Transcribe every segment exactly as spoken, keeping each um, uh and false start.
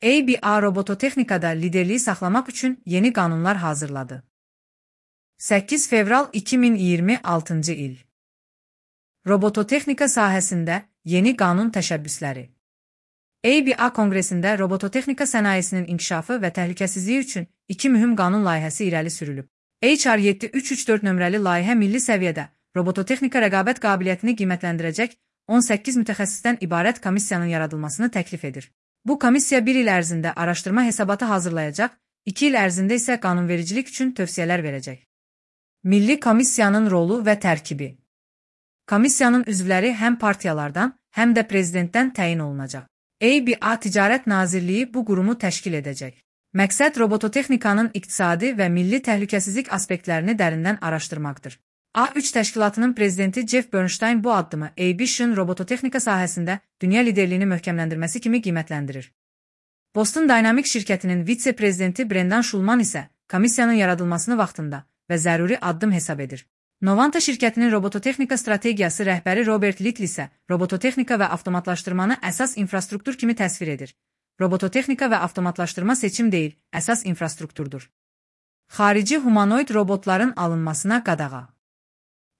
A B A robototexnikada liderliyi saxlamaq üçün yeni qanunlar hazırladı. səkkiz fevral iki min iyirmi altıncı il. Robototexnika sahəsində yeni qanun təşəbbüsləri. A B A Konqresində robototexnika sənayesinin inkişafı və təhlükəsizliyi üçün iki mühüm qanun layihəsi irəli sürülüb. H R yeddi üç üç dörd nömrəli layihə milli səviyyədə robototexnika rəqabət qabiliyyətini qiymətləndirəcək on səkkiz mütəxəssisdən ibarət komissiyanın yaradılmasını təklif edir. Bu komissiya bir il ərzində araşdırma hesabatı hazırlayacaq, iki il ərzində isə qanunvericilik üçün tövsiyələr verəcək. Milli komissiyanın rolu və tərkibi. Komissiyanın üzvləri həm partiyalardan, həm də prezidentdən təyin olunacaq. A B A Ticarət Nazirliyi bu qurumu təşkil edəcək. Məqsəd robototexnikanın iqtisadi və milli təhlükəsizlik aspektlərini dərindən araşdırmaqdır. A üç təşkilatının prezidenti Jeff Bernstein bu addımı A B A-nın robototexnika sahəsində dünya liderliyini möhkəmləndirməsi kimi qiymətləndirir. Boston Dynamics şirkətinin vitse-prezidenti Brendan Schulman isə komissiyanın yaradılmasını vaxtında və zəruri addım hesab edir. Novanta şirkətinin robototexnika strategiyası rəhbəri Robert Little isə robototexnika və avtomatlaşdırmanı əsas infrastruktur kimi təsvir edir. Robototexnika və avtomatlaşdırma seçim deyil, əsas infrastrukturdur. Xarici humanoid robotların alınmasına qadağa.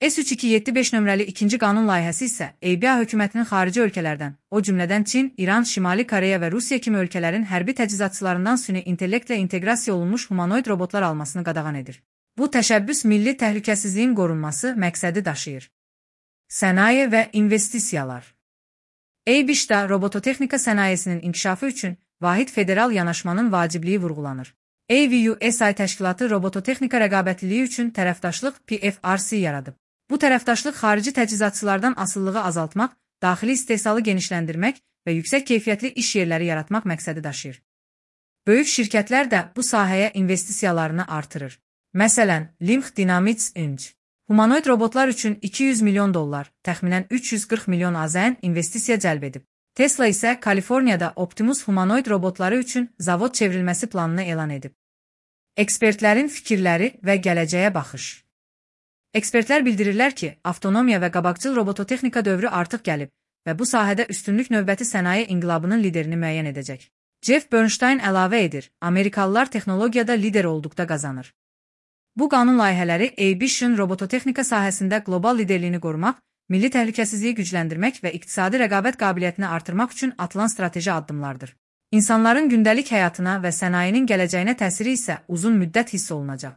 S üç iki yeddi beş nömrəli ikinci qanun layihəsi isə A B A hökumətinin xarici ölkələrdən, o cümlədən Çin, İran, Şimali Koreya və Rusiya kimi ölkələrin hərbi təchizatçılarından süni intellektlə inteqrasiya olunmuş humanoid robotlar almasını qadağan edir. Bu təşəbbüs milli təhlükəsizliyin qorunması məqsədi daşıyır. Sənaye və investisiyalar. A B A-da robototexnika sənayesinin inkişafı üçün vahid federal yanaşmanın vacibliyi vurğulanır. A V U S I təşkilatı robototexnika rəqabətliliyi üçün tərəfdaşlıq P F R C yaradıb. Bu tərəfdaşlıq xarici təchizatçılardan asılılığı azaltmaq, daxili istehsalı genişləndirmək və yüksək keyfiyyətli iş yerləri yaratmaq məqsədi daşıyır. Böyük şirkətlər də bu sahəyə investisiyalarını artırır. Məsələn, Limx Dynamics Inc humanoid robotlar üçün iki yüz milyon dollar, təxminən üç yüz qırx milyon A Z N investisiya cəlb edib. Tesla isə Kaliforniyada Optimus humanoid robotları üçün zavod çevrilməsi planını elan edib. Ekspertlərin fikirləri və gələcəyə baxış. Ekspertlər bildirirlər ki, avtonomiya və qabaqcıl robototexnika dövrü artıq gəlib və bu sahədə üstünlük növbəti sənaye inqilabının liderini müəyyən edəcək. Jeff Bernstein əlavə edir, Amerikalılar texnologiyada lider olduqda qazanır. Bu qanun layihələri A B A-nın robototexnika sahəsində qlobal liderliyini qorumaq, milli təhlükəsizliyi gücləndirmək və iqtisadi rəqabət qabiliyyətini artırmaq üçün atılan strateji addımlardır. İnsanların gündəlik həyatına və sənayenin gələcəyinə təsiri isə uzun müddət hiss olunacaq.